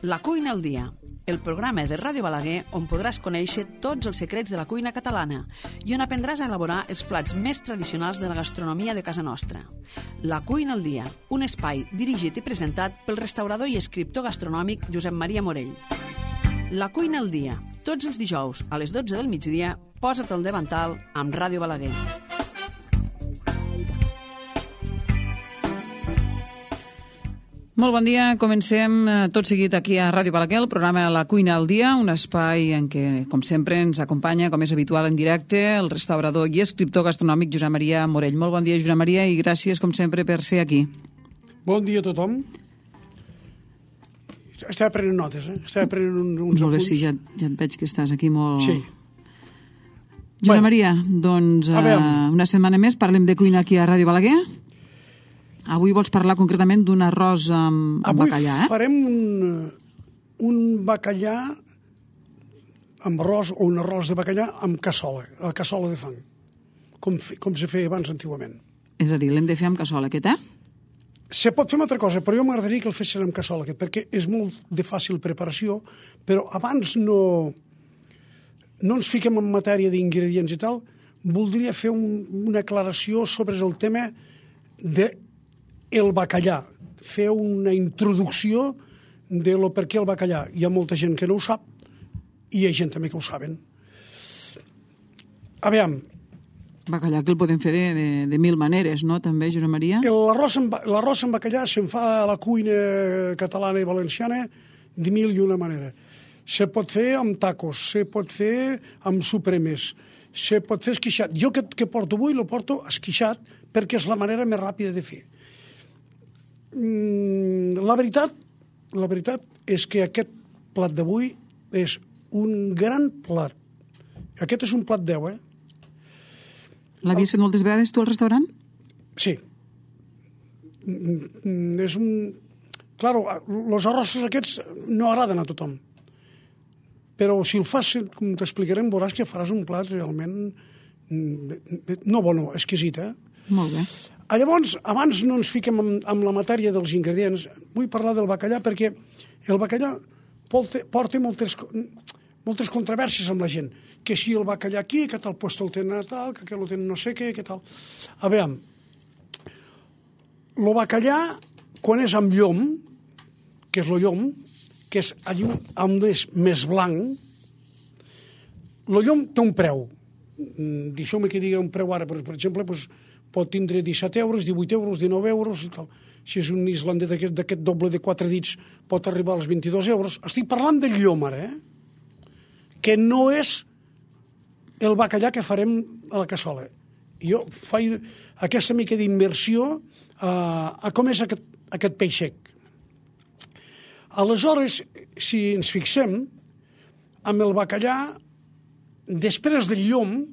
La cuina al dia, el programa de Ràdio Balaguer on podràs conèixer tots els secrets de la cuina catalana i on aprendràs a elaborar els plats més tradicionals de la gastronomia de casa nostra. La cuina al dia, un espai dirigit i presentat pel restaurador i escriptor gastronòmic Josep Maria Morell. La cuina al dia, tots els dijous a les 12 del migdia, posa't al davantal amb Ràdio Balaguer. Molt bon dia, comencem tot seguit aquí a Ràdio Balaguer, el programa La Cuina al Dia, un espai en què, com sempre, ens acompanya, com és habitual en directe, el restaurador i escriptor gastronòmic Josep Maria Morell. Molt bon dia, Josep Maria, i gràcies, com sempre, per ser aquí. Bon dia a tothom. Estava prenent notes, Estava prenent uns molt bé, apunts. sí, ja et veig que estàs aquí molt... Sí. Josep Maria, doncs, una setmana més parlem de cuina aquí a Ràdio Balaguer. Avui vols parlar concretament d'un arròs amb bacallà, Avui farem un bacallà amb arròs o un arròs de bacallà amb cassola, la cassola de fang, com se feia abans antigament. És a dir, l'hem de fer amb cassola, aquest, Se pot fer una altra cosa, però jo m'agradaria que el fessin amb cassola, perquè és molt de fàcil preparació, però abans no ens fiquem en matèria d'ingredients i tal, voldria fer una aclaració sobre el tema del bacallà, fer una introducció de lo per què el bacallà. Hi ha molta gent que no ho sap i hi ha gent també que ho saben. Aviam. Bacallà que el podem fer de mil maneres, no? També, Josep Maria? L'arròs amb bacallà se'n fa a la cuina catalana i valenciana de mil i una manera. Se pot fer amb tacos, se pot fer amb supremes, se pot fer esquixat. Jo que porto avui, lo porto esquixat perquè és la manera més ràpida de fer. La veritat és que aquest plat d'avui és un gran plat. Aquest és un plat 10, L'havies fet moltes vegades tu al restaurant? Sí. És un... Claro, els arrossos aquests no agraden a tothom. Però si el fas, com t'explicarem, veuràs que faràs un plat realment... exquisit, Molt bé. Llavors, abans no ens fiquem amb la matèria dels ingredients. Vull parlar del bacallà perquè el bacallà porta moltes controvèrsies amb la gent. Que si el bacallà aquí, que tal puesto el tenen tal, que el tenen no sé què, que tal... A veure, el bacallà, quan és amb llom, que és el llom, que és allí on és més blanc, el llom té un preu. Deixeu-me que digui un preu ara, per exemple, pot tindre 17 euros, 18 euros, 19 euros i tal. Si és un islandès d'aquest doble de 4 dits pot arribar als 22 euros. Estic parlant del llom ara, que no és el bacallà que farem a la cassola. Jo faig aquesta mica d'immersió a com és aquest peix sec. Aleshores, si ens fixem, amb el bacallà, després del llom,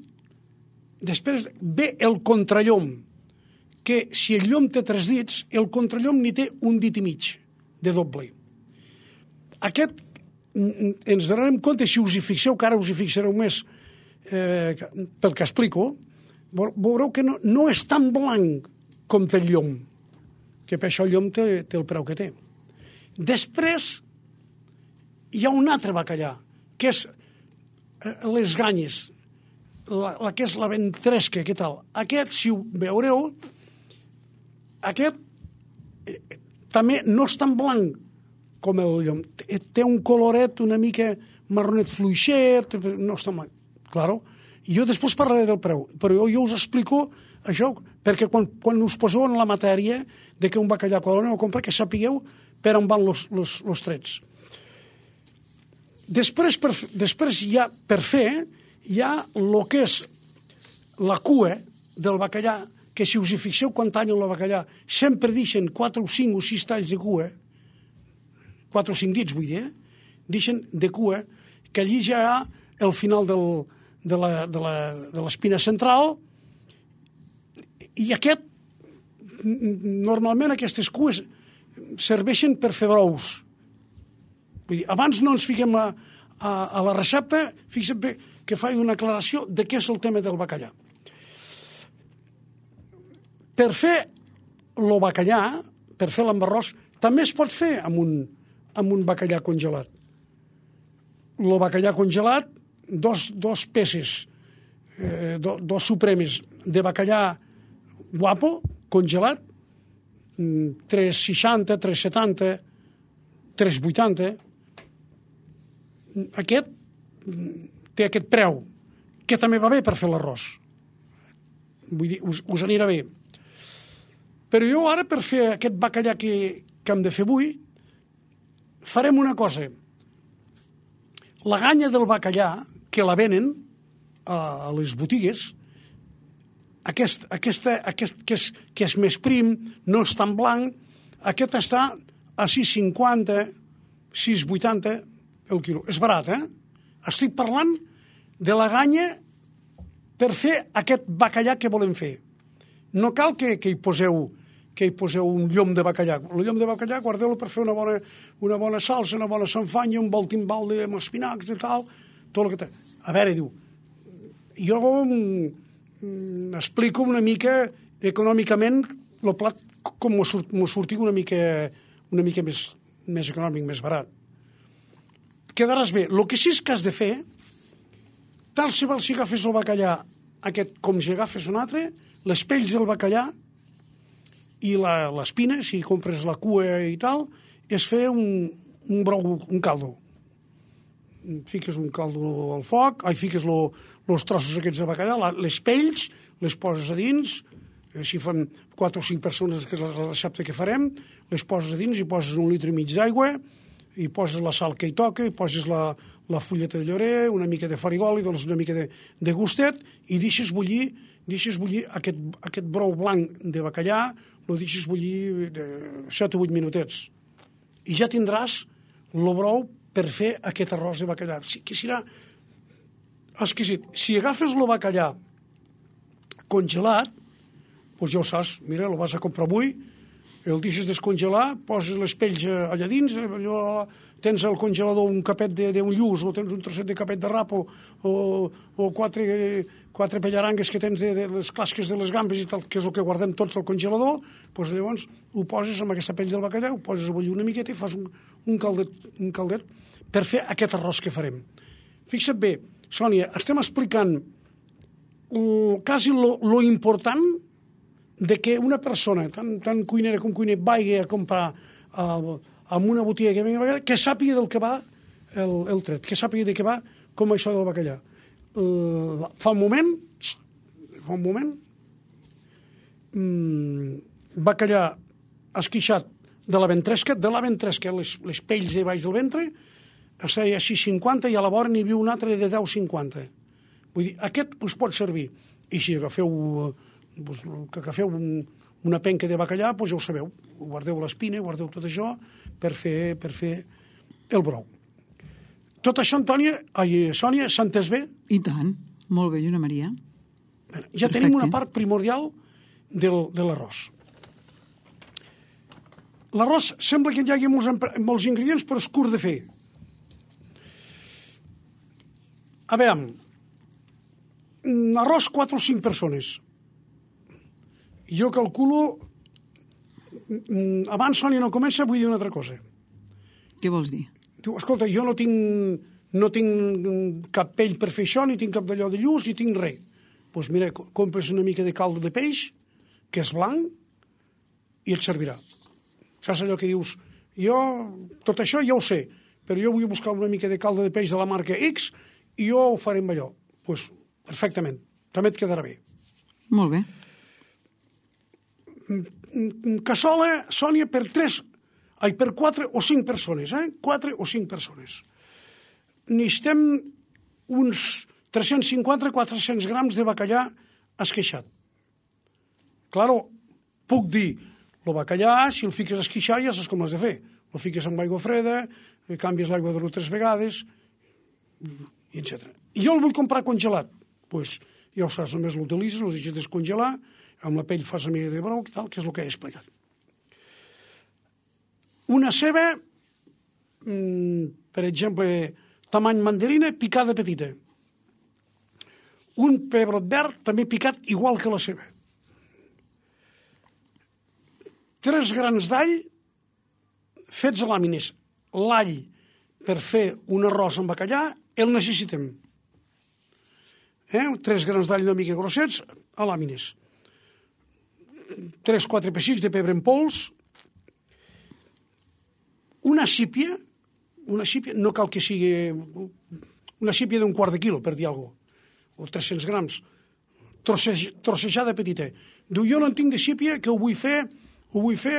després ve el contrallom, que si el llom té 3 dits, el contrallom n'hi té un dit i mig de doble. Aquest ens donarem compte, si us hi fixeu, que ara us hi fixareu més pel que explico, veureu que no és tan blanc com té el llom, que per això el llom té el preu que té. Després hi ha un altre bacallà, que és les ganyes, la que és la ventresca, què tal? Aquest, si ho veureu, aquest també no és tan blanc com el llom. Té un coloret una mica marronet fluixet, no és tan blanc. Claro. Jo després parlaré del preu, però jo us explico això, perquè quan us poseu en la matèria de que un bacallà, quan l'aneu a comprar, que sapigueu per on van els trets. Després per fer, hi ha el que és la cua del bacallà, que si us hi fixeu quan tallen el bacallà, sempre deixen 4 o 5 o 6 talls de cua, 4 o 5 dits, vull dir, deixen de cua, que allí ja hi ha el final de l'espina central, i normalment aquestes cues serveixen per fer brous. Vull dir, abans no ens fiquem a la recepta, fixa't bé que faig una aclaració de què és el tema del bacallà. Per fer el bacallà, per fer l'ambarròs, també es pot fer amb amb un bacallà congelat. El bacallà congelat, dos peces, dos supremes de bacallà guapo, congelat, 3,60, 3,70, 3,80. Aquest té aquest preu, que també va bé per fer l'arròs. Vull dir, us anirà bé. Però jo ara, per fer aquest bacallà que hem de fer avui, farem una cosa. La ganya del bacallà, que la venen a les botigues, aquest que és més prim, no és tan blanc, aquest està a 6,50, 6,80 el quilo. És barat, Estic parlant de la ganya per fer aquest bacallà que volem fer. No cal que hi poseu un llom de bacallà. El llom de bacallà, guardeu-lo per fer una bona salsa, una bona sanfanya, un bon timbal amb espinacs i tal, tot el que té. A veure, diu, jo explico una mica econòmicament el plat com m'ho surti una mica més econòmic, més barat. Quedaràs bé. El que sí és que has de fer, tal si agafes el bacallà aquest com si agafes un altre, les pells del bacallà i l'espina, si compres la cua i tal, és fer un brou, un caldo. Fiques un caldo al foc, fiques els trossos aquests de bacallà, les pells, les poses a dins, si fan 4 o 5 persones, que és la recepta que farem, les poses a dins i poses 1,5 litres d'aigua, i poses la sal que hi toca, i poses la fulleta de llorer, una mica de farigol, i dones una mica de gustet, i deixes bullir aquest brou blanc de bacallà, el deixes bullir 7 o 8 minutets. I ja tindràs el brou per fer aquest arròs de bacallà, que serà exquisit. Si agafes el bacallà congelat, doncs ja ho saps, mira, el vas a comprar avui, el deixes descongelar, poses les pells allà dins, tens al congelador un capet d'un lluç, o tens un trosset de capet de rap, o quatre pellarangues que tens de les clasques de les gambes i tal, que és el que guardem tots al congelador, doncs llavors ho poses amb aquesta pell del bacallà, ho poses a bullir una miqueta i fas un caldet per fer aquest arròs que farem. Fixa't bé, Sònia, estem explicant quasi lo important de que una persona, tant cuinera com cuiner, vagi a comprar en una botiga que sàpiga del que va el tret, que sàpiga de què va com això del bacallà. Fa un moment, bacallà esquixat de la ventresca, les pells de baix del ventre, es feia 6,50 i a la vora n'hi havia un altre de 10,50. Vull dir, aquest us pot servir. I si agafeu una penca de bacallà, doncs ja ho sabeu, guardeu l'espina, guardeu tot això per fer el brou. Tot això, Sònia, s'ha entès bé? I tant, molt bé, Joana Maria. Ja tenim una part primordial de l'arròs. L'arròs sembla que hi hagi molts ingredients, però és curt de fer. A veure, arròs 4 o 5 persones. Jo calculo, abans Sònia no comença, vull dir una altra cosa. Què vols dir? Diu, escolta, jo no tinc cap pell per fer això, ni tinc cap d'allò de lluç, ni tinc res. Doncs mira, compres una mica de caldo de peix, que és blanc, i et servirà. Saps allò que dius, tot això ja ho sé, però jo vull buscar una mica de caldo de peix de la marca X i jo ho faré amb allò. Doncs perfectament, també et quedarà bé. Molt bé. Cassola, Sònia, per 4 o 5 persones, 4 o 5 persones. Necessitem uns 350-400 grams de bacallà esqueixat. Claro, puc dir, el bacallà, si el fiques a esqueixar, ja saps com l'has de fer. El fiques amb aigua freda, canvies l'aigua 2 o 3 vegades, etc. I jo el vull comprar congelat. Doncs ja ho saps, només l'utilitzes, el deixes descongelar, amb la pell fas a mica de brou, tal, que és el que he explicat. Una ceba, per exemple, tamany mandarina, picada petita. Un pebrot verd, també picat, igual que la ceba. 3 grans d'all fets a làmines. l'all per fer un arròs amb bacallà, el necessitem. 3 grans d'all una mica grossets, a làmines. 3-4 pessics de pebre en pols, una sípia, no cal que sigui una sípia d'un quart de quilo, per dir alguna cosa, o 300 grams, trossejada petita. Diu, jo no en tinc de sípia, que ho vull fer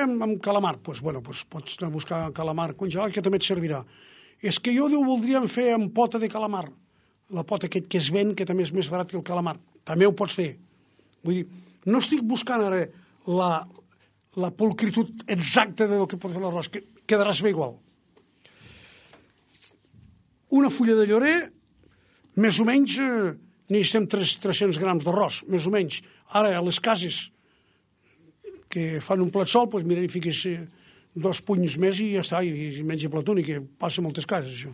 amb calamar. Doncs pots anar a buscar calamar congelat, que també et servirà. És que jo voldríem fer amb pota de calamar. La pota que es ven, que també és més barat que el calamar. També ho pots fer. Vull dir, no estic buscant ara la pulcritud exacta del que pot fer l'arròs, que quedaràs bé igual. Una fulla de llorer, més o menys, necessitem 300 grams d'arròs, més o menys. Ara, a les cases que fan un plat sol, doncs mira, hi fiques 2 punys més i ja està, i menja plat únic, que passa a moltes cases, això.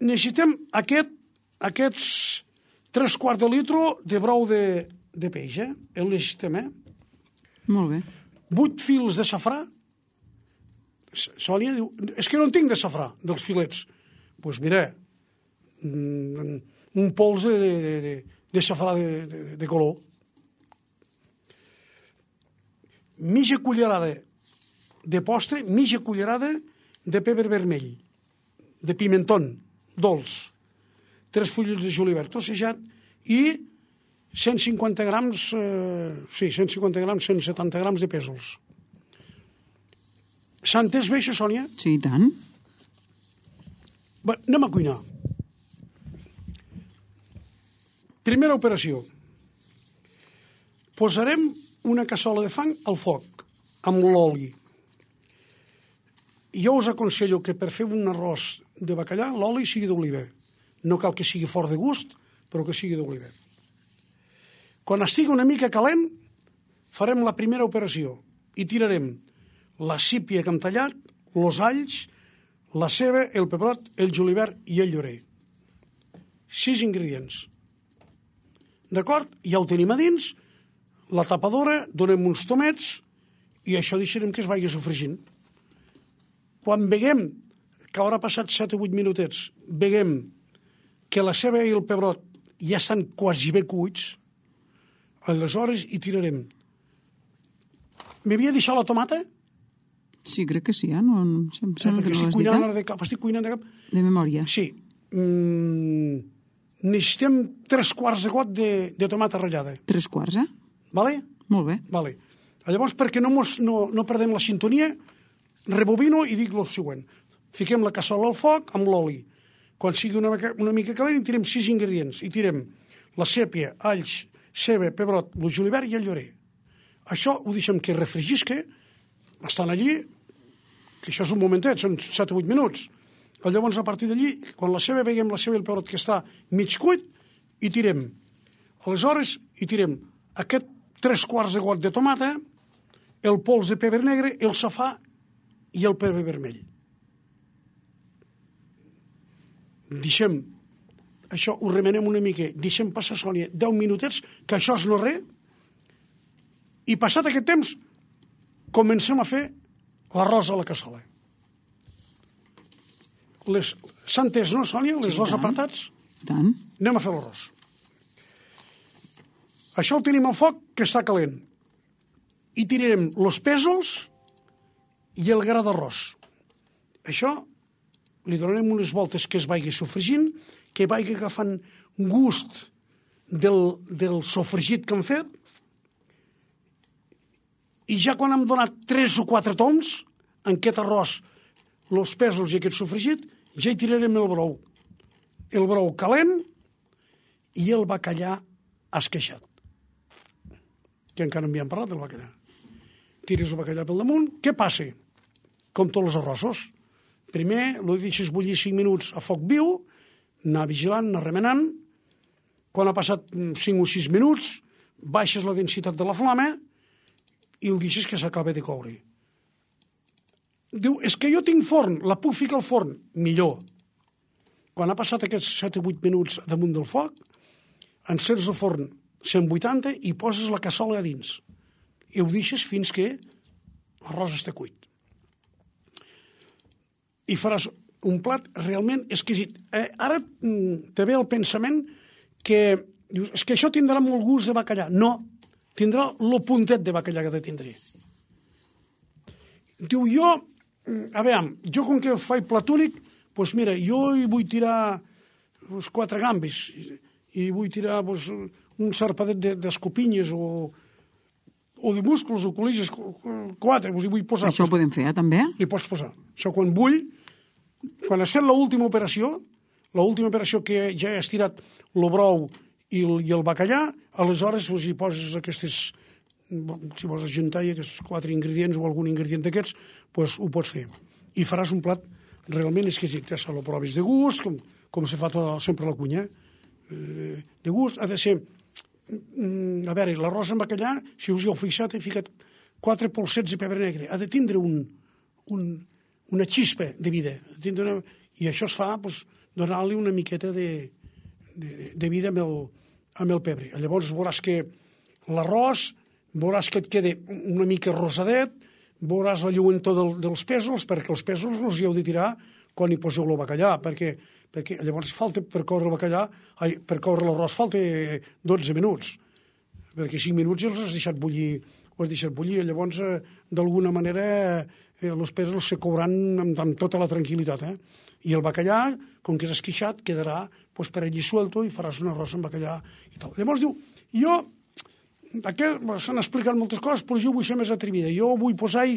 Necessitem aquests 3/4 de litre de brou de peix, el necessitem, Molt bé. 8 fils de safrà. Sònia diu, és que no en tinc de safrà, dels filets. Doncs mira, un pols de safrà de color. Mitja cullerada de postre, mitja cullerada de pebre vermell, de pimentón dolç, 3 fulles de julivert trossejat i 150 grams, 170 grams de pèsols. S'ha entès bé això, Sònia? Sí, i tant. Bé, anem a cuinar. Primera operació. Posarem una cassola de fang al foc, amb l'oli. Jo us aconsello que per fer un arròs de bacallà l'oli sigui d'oliva. No cal que sigui fort de gust, però que sigui d'oliva. Quan estigui una mica calent, farem la primera operació i tirarem la sípia que hem tallat, els alls, la ceba, el pebrot, el julivert i el llorer. 6 ingredients. D'acord? Ja ho tenim a dins, la tapadora, donem uns tomets i això deixarem que es vagi sofregint. Quan veiem que haurà passat 7 o 8 minutets, veiem que la ceba i el pebrot ja estan quasi bé cuits, aleshores hi tirarem. M'havia deixat la tomata? Sí, crec que sí, no? Sembla que no l'has dit, estic cuinant de cap. De memòria. Sí. Necessitem 3/4 de got de tomata ratllada. 3/4, Vale? Molt bé. Vale. Llavors, perquè no perdem la sintonia, rebobino i dic el següent. Fiquem la cassola al foc amb l'oli. Quan sigui una mica calent, hi tirem 6 ingredients. Hi tirem la sèpia, alls, ceba, pebrot, el julivert i el llorer. Això ho deixem que refregisca, estan allí, que això és un momentet, són 7 o 8 minuts. Llavors, a partir d'allí, quan veiem la ceba i el pebrot que està mig cuit, hi tirem. Aleshores, hi tirem aquest 3/4 de got de tomata, el pols de pebre negre, el safà i el pebre vermell. Deixem, això ho remenem una mica, deixem passar, Sònia, 10 minutets, que això és no res, i passat aquest temps, comencem a fer l'arròs a la cassola. S'ha entès, no, Sònia? Les dos apartats? Tant. Anem a fer l'arròs. Això ho tenim al foc, que està calent. I tirarem els pèsols i el gra d'arròs. Això li donarem unes voltes que es vagi sofregint, que vagi agafant gust del sofregit que hem fet, i ja quan hem donat 3 o 4 toms, en aquest arròs, els pèsols i aquest sofregit, ja hi tirarem el brou. El brou calent i el bacallà esqueixat. Que encara no havíem parlat del bacallà. Tires el bacallà pel damunt. Què passa? Com tots els arrossos. Primer, el deixes bullir 5 minuts a foc viu, anar vigilant, anar remenant. Quan ha passat 5 o 6 minuts, baixes la densitat de la flama i el deixes que s'acaba de coure. Diu, és que jo tinc forn, la puc ficar al forn? Millor. Quan ha passat aquests 7 o 8 minuts damunt del foc, enceres el forn 180 i poses la cassola a dins. I ho deixes fins que l'arròs està cuit. i faràs un plat realment exquisit. Ara te ve el pensament que dius, és que això tindrà molt gust de bacallà. No, tindrà lo puntet de bacallà que ha de tindre. Diu, jo com que faig plat únic, doncs mira, jo hi vull tirar 4 gambes i vull tirar un sarpadet d'escopinyes o de músculs o col·ligis, 4, hi vull posar. Això ho podem fer, també? Li pots posar. Això quan has fet l'última operació que ja he estirat el brou i el bacallà, aleshores hi poses aquestes, si vols ajuntar aquests 4 ingredients o algun ingredient d'aquests, doncs ho pots fer. I faràs un plat realment exquisit. Ja se lo provis de gust, com se fa sempre a la cuina. De gust, ha de ser... A veure, l'arròs amb bacallà, si us hi heu fixat, he ficat 4 polsets de pebre negre. Ha de tindre una xispa de vida. I això es fa donant-li una miqueta de vida amb el pebre. Llavors veuràs que l'arròs, veuràs que et queda una mica rosadet, veuràs la lluentor dels pèsols, perquè els pèsols els hi heu de tirar quan hi poseu el bacallà, perquè llavors falta per coure l'arròs falta 12 minuts, perquè 5 minuts ja els has deixat bullir, llavors d'alguna manera els pèsols se couran amb tota la tranquil·litat, i el bacallà, com que és esquixat, quedarà per allí suelto i faràs un arròs amb bacallà i tal. Llavors diu, s'han explicat moltes coses, però jo vull ser més atrevida. Jo vull posar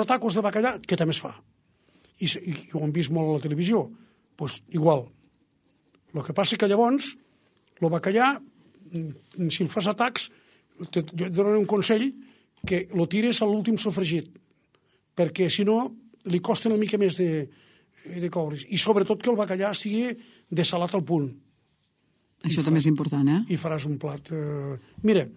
tacos de bacallà, que també es fa. I ho hem vist molt a la televisió. Doncs igual. El que passa que llavors, el bacallà, si el fas a tacs, jo et donaré un consell, que lo tires a l'últim sofregit, perquè si no li costa una mica més de coure's. I sobretot que el bacallà sigui desalat al punt. Això també és important, I faràs un plat... Mira,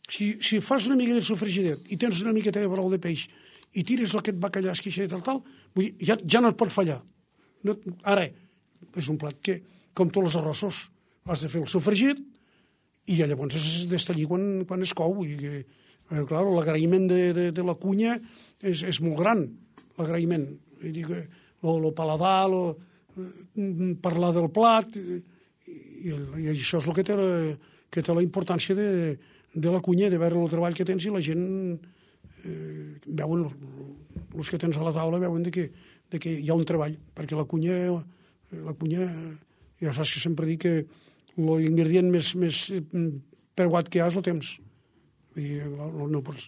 si fas una mica de sofregidet i tens una miqueta de brou de peix i tires aquest bacallà esquixat i tal, ja no et pot fallar. Ara, és un plat que, com tots els arrossos, has de fer el sofregit i llavors has d'estallir quan es cou. Clar, l'agraïment de la cuina és molt gran, l'agraïment. El paladar, parlar del plat, i això és el que té la importància de la cuina, de veure el treball que tens, i la gent veuen, els que tens a la taula veuen que hi ha un treball, perquè la cuina, ja saps que sempre dic que l'ingredient més preuat que hi ha és el temps. No pots...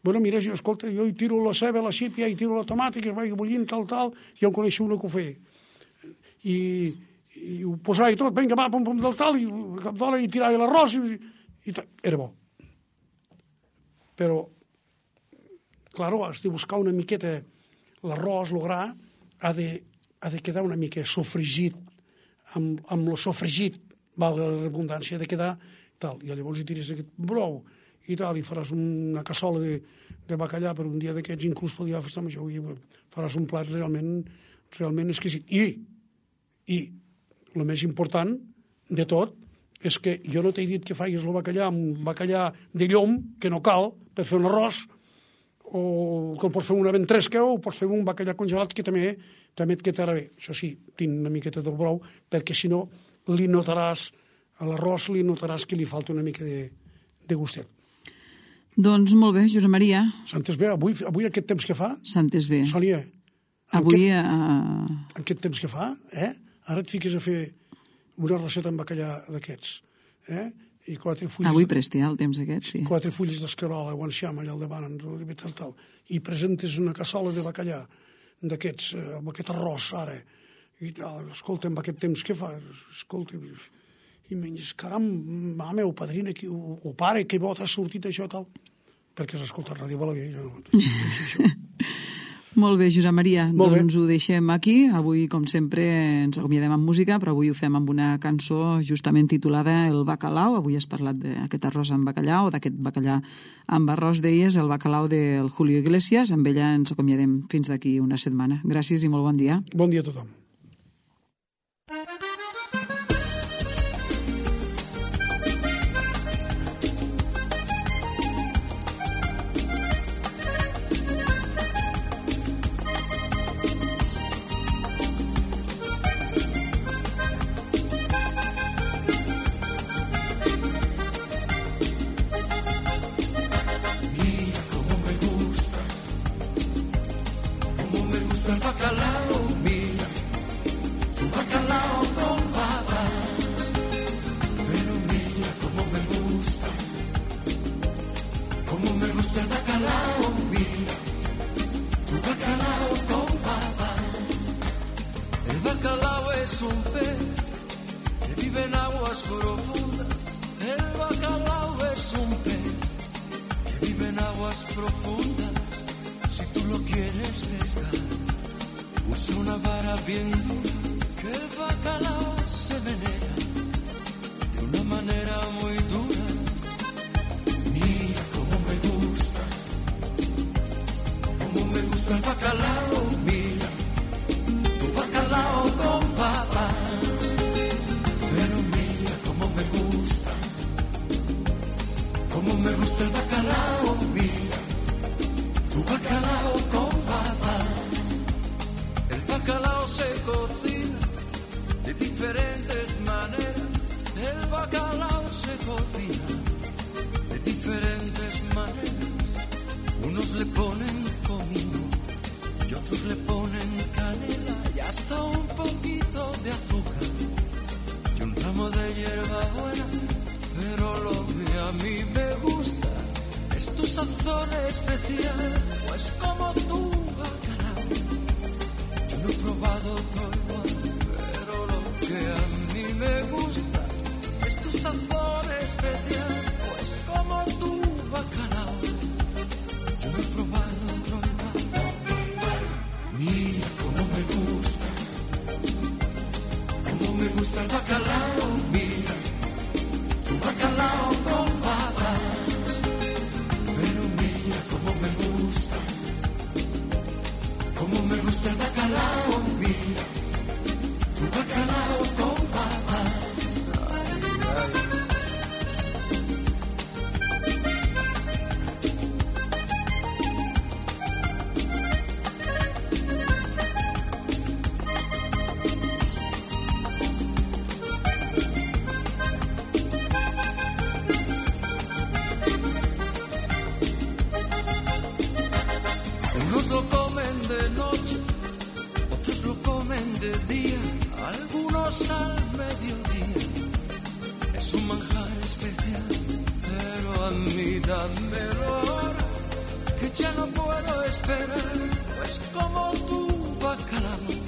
Bueno, mira, escolta, jo hi tiro la ceba, la sípia, hi tiro la tomata, que es vagi bullint, tal, i jo en coneixo una que ho feia. I ho posava i tot, vinga, va, pom, del tal, i cap d'hora i tirava l'arròs, i tal. Era bo. Però, clar, has de buscar una miqueta l'arròs, el gra, ha de quedar una mica sofregit, amb el sofregit, valga la redundància, ha de quedar tal. I llavors hi tires aquest brou i tal, i faràs una cassola de bacallà per un dia d'aquests, inclús pel dia de festa major, i faràs un plat realment exquisit. I el més important de tot és que jo no t'he dit que facis el bacallà amb bacallà de llom, que no cal, per fer un arròs, o que pots fer una ventresca, o pots fer un bacallà congelat, que també et quedarà bé. Això sí, tinc una miqueta del brou, perquè si no li notaràs, a l'arròs li notaràs que li falta una mica de gustet. Doncs molt bé, Josep Maria. Sentes bé? Avui aquest temps que fa? Sentes bé. Sònia, avui... Aquest temps que fa, ara et fiques a fer una recepta amb bacallà d'aquests, i 4 fulles... Avui presti, el temps aquest, sí. 4 fulles d'escarola, o enciam, allà al davant, tal, i presentes una cassola de bacallà d'aquests, amb aquest arròs, ara, i tal, escolta, amb aquest temps que fa, escolta, i menys, caram, mama o padrina, o pare, que bo t'ha sortit això, tal, perquè has escoltat Ràdio Balaguer, jo no... Molt bé, Josep Maria, doncs ho deixem aquí. Avui, com sempre, ens acomiadem amb música, però avui ho fem amb una cançó justament titulada El Bacalao. Avui has parlat d'aquest arròs amb bacallà, o d'aquest bacallà amb arròs, deies, El Bacalao del Julio Iglesias. Amb ella ens acomiadem fins d'aquí una setmana. Gràcies i molt bon dia. Bon dia a tothom. gusta el bacalao, mira, tu bacalao con papas. Pero mira cómo me gusta el bacalao, mira, tu bacalao con papas. El bacalao es un pez que vive en aguas profundas. El bacalao es un pez que vive en aguas profundas. Si tú lo quieres pescar, usa una vara bien dura, que el bacalao se venera de una manera muy dura. Mira cómo me gusta el bacalao, mira, tu bacalao con papas. Pero mira cómo me gusta el bacalao, mira, tu bacalao con papas. El bacalao se cocina de diferentes maneras. El bacalao se cocina de diferentes maneras. Unos le ponen comino y otros le ponen canela y hasta un poquito de azúcar y un ramo de hierbabuena. Pero lo que a mí me gusta es tu sazón especial, pues como tu bacalao yo no he probado otro igual. Pero lo que a mí me gusta es tu sazón especial, pues como tu bacalao yo no he probado otro igual. Mira cómo me gusta el bacalao, mira, tu bacalao con papas. Pero mira cómo me gusta el bacalao, mira, tu bacalao con papas. Unos lo comen de noche, otros lo comen de día, algunos al mediodía. Es un manjar especial, pero a mí dámelo ahora, que ya no puedo esperar, pues como tu bacalao